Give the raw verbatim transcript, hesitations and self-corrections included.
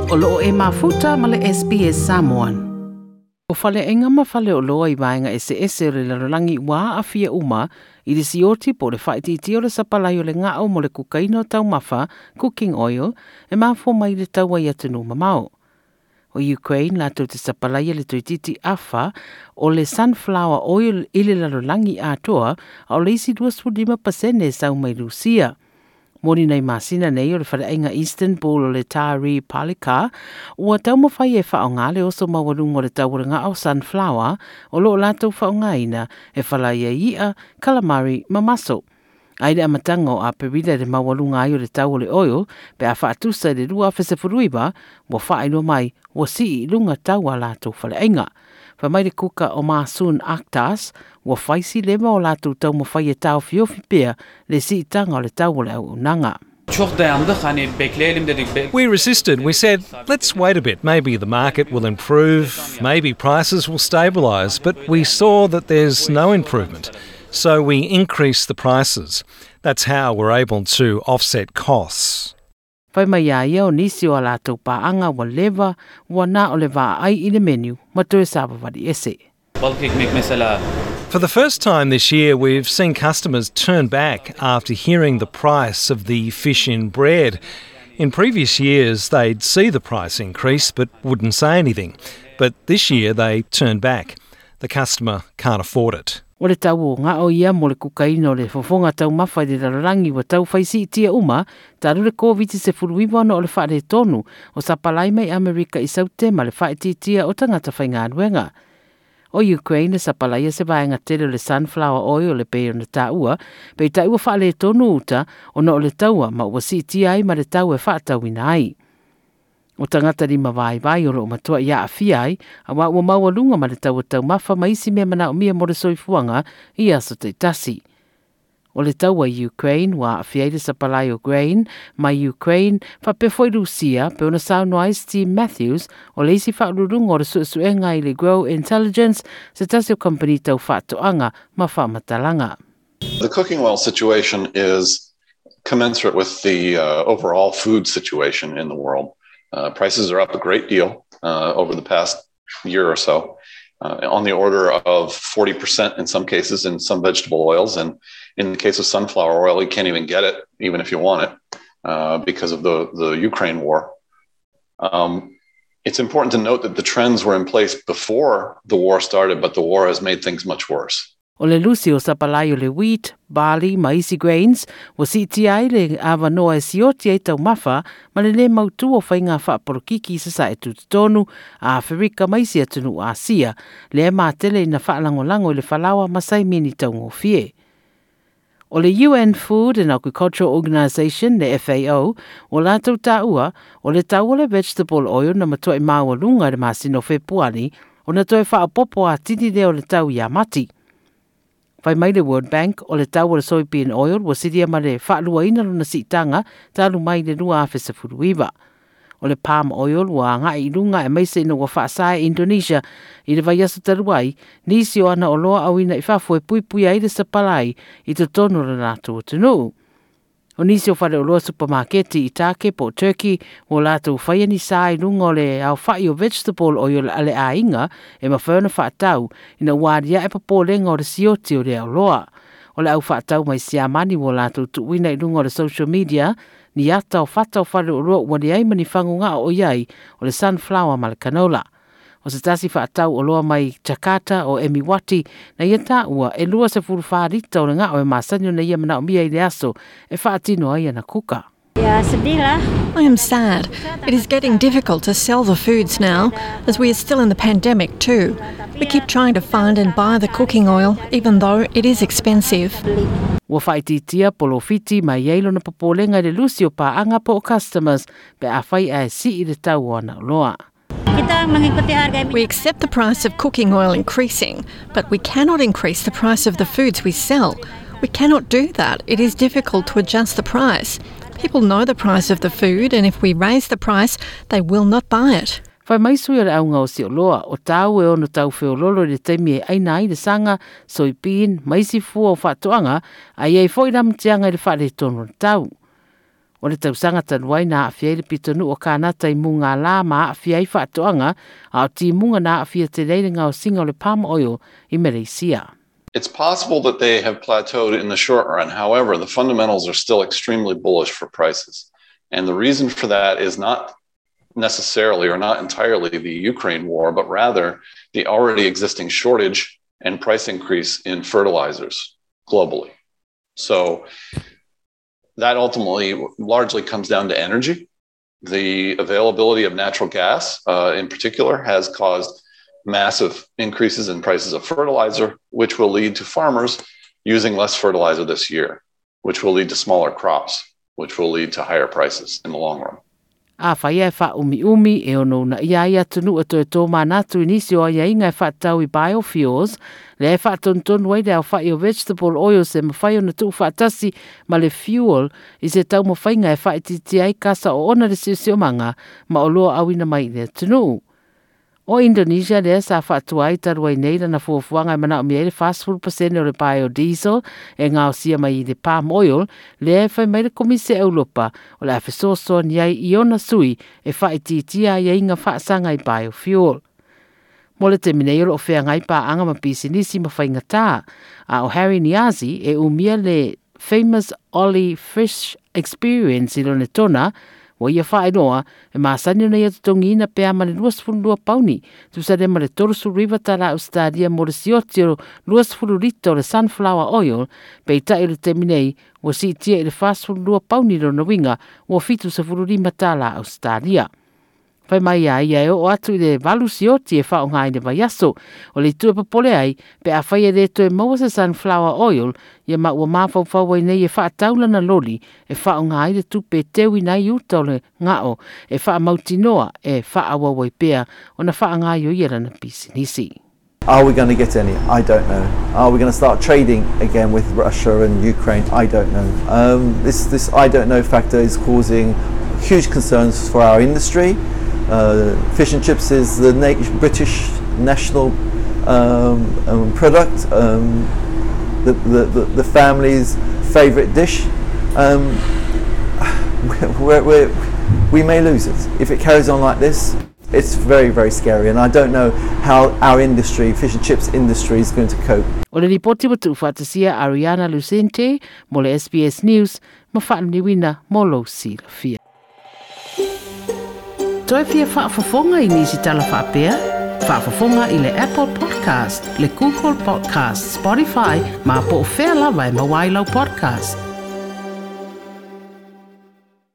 O loo e mafuta ma le S B S Samoan. O faleaiga ma faleoloa i vaega eseese o le lalolagi ua aafia uma i le sioti po o le faaitiitia o le sapalai o le gao mo le kukaina o taumafa, cooking oil, e mafua mai le taua i atunuu mamao. O Ukraine latou te sapalaia le toeitiiti afa o le sunflower oil i le lalolagi atoa a o le isi luasefulu lima pasene e sau mai Rusia. Moni nei masina nei o le faleaiga Istanbul o le Tari Palika ua taumafai e faaaoga le oso maualuga o le tau o le gao sunflower o loo latou faaaogaina e falaia ai i'a, calamari ma maso. Ai le amataga o Aperila le maualuga ai o le tau o le oil pe a faatusa i le lua afe sefulu iva ua faailoa mai ua sii i luga tau a latou faleaiga. Fai mai le kuka o Masun Aktas ua faisi leva o latou taumafai e taofiofi pea le siitaga o le tau o le auaunaga. Çok dayandık, hani bekleyelim dedik. Be- We resisted. We said, let's wait a bit. Maybe the market will improve, maybe prices will stabilise. But we saw that there's no improvement. So we increased the prices. That's how we're able to offset costs. Fai mai ia ia o nisi o a latou paaga ua leva ua na o le vaai i le menu ma toe savavali ese. Balık ekmek mesela. For the first time this year, we've seen customers turn back after hearing the price of the fish in bread. In previous years, they'd see the price increase but wouldn't say anything. But this year, they turned back. The customer can't afford it. O le tau o ngao ia mo le kukaina o le fofoga taumafa i le lalolagi ua taufai siitia uma talu le COVID sefulu iva ona o le faaletonu o sapalai mai Amerika i Sautema le faaitiitia o tagata faigaluega. O Ukraine sapalaia se vaega tele o le sunflower oil le pei ona taua, peitai ua faaletonu uta ona o le taua ma ua siitia ai ma le tau e faatauina ai. O tagata lima vaivai o loo matua i aafia ai, auā ua maualuga ma le tau o taumafa ma isi mea manaomia mo le soifuaga i aso taitasi. O le taua i Ukraine ua aafia ai le sapalai o grain mai Ukraine faapea foi Rusia pe ona saunoa ai Steve Matthews o le isi faauluuluga o le suesuega i le Grow Intelligence se tasi o kompani tau faatoaga ma faamatalaga. The cooking oil situation is commensurate with the, uh, overall food situation in the world. Uh, prices are up a great deal, uh, over the past year or so, uh, on the order of forty percent in some cases in some vegetable oils. And in the case of sunflower oil, you can't even get it, even if you want it, uh, because of the, the Ukraine war. Um, it's important to note that the trends were in place before the war started, but the war has made things much worse. O le lusi o sapalai o le wheat, barley ma isi grains, ua siitia ai le avanoa e sioti ai taumafa ma le lē mautū o faiga faapolokiki i sasae tutotonu a Aferika ma isi atunuu Asia, lea e matele ina faalagolago i le falaoa ma saimini taugofie. O le U N Food and Agricultural Organization, le F A O, o latou taua, o le tau o le vegetable oil na matuai maualuga i le masina o Fepuari, ona toe faapopo atili lea o le tau ia Mati. Fai mai le World Bank o le tau o le soybean oil ua silia ma le faaluaina lona siitaga talu mai le lua afe sefulu iva. O le palm oil ua agai i luga e maise ina ua faasae Indonesia i le vaiaso talu ai, nisi o ana oloa auina i fafo e puipui ai le sapalai i totonu o le latou atunuu. O nisi o faleoloa supermarketi i Take po Turkey ua latou faia ni sa i luga o le aofai o vegetable oil a le aiga e mafai ona faatau ina ua aliae popolega o le sioti o le aoloa. O le au faatau mai Siamani ua latou tuuina i luga o le social media ni ata o fata o faleoloa ua leai ma ni fagogao o iai o le sunflower ma le canola. O se tasi faatau oloa mai Jakarta o Emiwati na ia taua e lua sefulu fa lita o le ngao e masani ona ia manaomia i le aso e faatino ai ana kuka. Ya, sedih lah. I am sad. It is getting difficult to sell the foods now, as we are still in the pandemic too. We keep trying to find and buy the cooking oil, even though it is expensive. Ua faaitiitia polofiti mai ai lona popolega i le lusi o paaga po o customers pe a fai ae sii le tau o ana oloa. Kita mengikuti harga We accept the price of cooking oil increasing, but we cannot increase the price of the foods we sell. We cannot do that. It is difficult to adjust the price. People know the price of the food, and if we raise the price, they will not buy it. Fai mai sui o le auga o Sioloa, o tau e ono tau feololo i le taimi e aina ai le saga, soybean, ma isi fua o faatoaga, a iai foi lamatiaga i le faaletonu o le tau. O le tausaga talu ai na aafia ai le pitonuu o Kanata i mugālā ma aafia ai faatoaga, a o timuga na aafia tele ai le gaosiga o le palm oil i Malaysia. It's possible that they have plateaued in the short run. However, the fundamentals are still extremely bullish for prices. And the reason for that is not necessarily or not entirely the Ukraine war, but rather the already existing shortage and price increase in fertilizers globally. So that ultimately largely comes down to energy. The availability of natural gas, uh, in particular, has caused massive increases in prices of fertilizer, which will lead to farmers using less fertilizer this year, which will lead to smaller crops, which will lead to higher prices in the long run. Afai e faaumiumi e ono uunaia ai atunuu e toe tomanatu i nisi o aiaiga e faatatau i biofuels, lea e faatonutonu ai le aofa'i o vegetable oils e mafai ona tuufaatasi ma le fuel i se taumafaiga e faaitiitia ai kasa oona le siosiomaga ma oloa auina mai i le atunuu. O Indonesia lea sa faatua ai talu ai nei lana fuafuaga e manaomia ai le fasefulu pasene o le biodiesel e gaosia mai i le palm oil, lea e fai mai le Komisi a Europa o le a fesoasoani ai i ona sui e faaitiitia aiaiga faasaga i biofuel. Mo le taimi nei o loo feagai paaga ma pisinisi ma faigatā, a o Harry Niazi e umia le Famous Ollie Fish Experience i Lonetona, ua ia faailoa e masani ona ia totogiina pe a ma le luasefululua pauni, tusa lea ma le tolusefuluiva talā Ausetalia mo le sioti o luasefulu lita o le sunflower oil, peitai o le taimi nei ua siitia i le fasefululua pauni lona uiga ua fitusefululima talā Ausetalia. Fai mai a ia e oo atu i le valu sioti e faaaoga i le vaiaso. O le itu e popole ai, pe afai e lē toe maua se sunflower oil, ia ma ua mafaufau ai nei e faatau lana loli e faaaoga ai le tupe e teuina ai uta o le gao e faamautinoa e faaauau ai pea ona faagaioia lana pisinisi. Are we going to get any? I don't know. Are we going to start trading again with Russia and Ukraine? I don't know. Um, this, this I don't know factor is causing huge concerns for our industry. Uh, fish and chips is the na- British national um, um, product, um, the, the, the, the family's favourite dish. Um, we're, we're, we may lose it. If it carries on like this, it's very, very scary, and I don't know how our industry, fish and chips industry, is going to cope. O le lipoti ua tuufaatasia Ariana Lucente mo le S B S News ma faaliliuina mo lou silafia. Toe fia faafofoga i nisi tala faapea? Faafofoga i le Apple Podcast, le Google Podcast, Spotify, ma po o fea lava e maua ai lau podcast.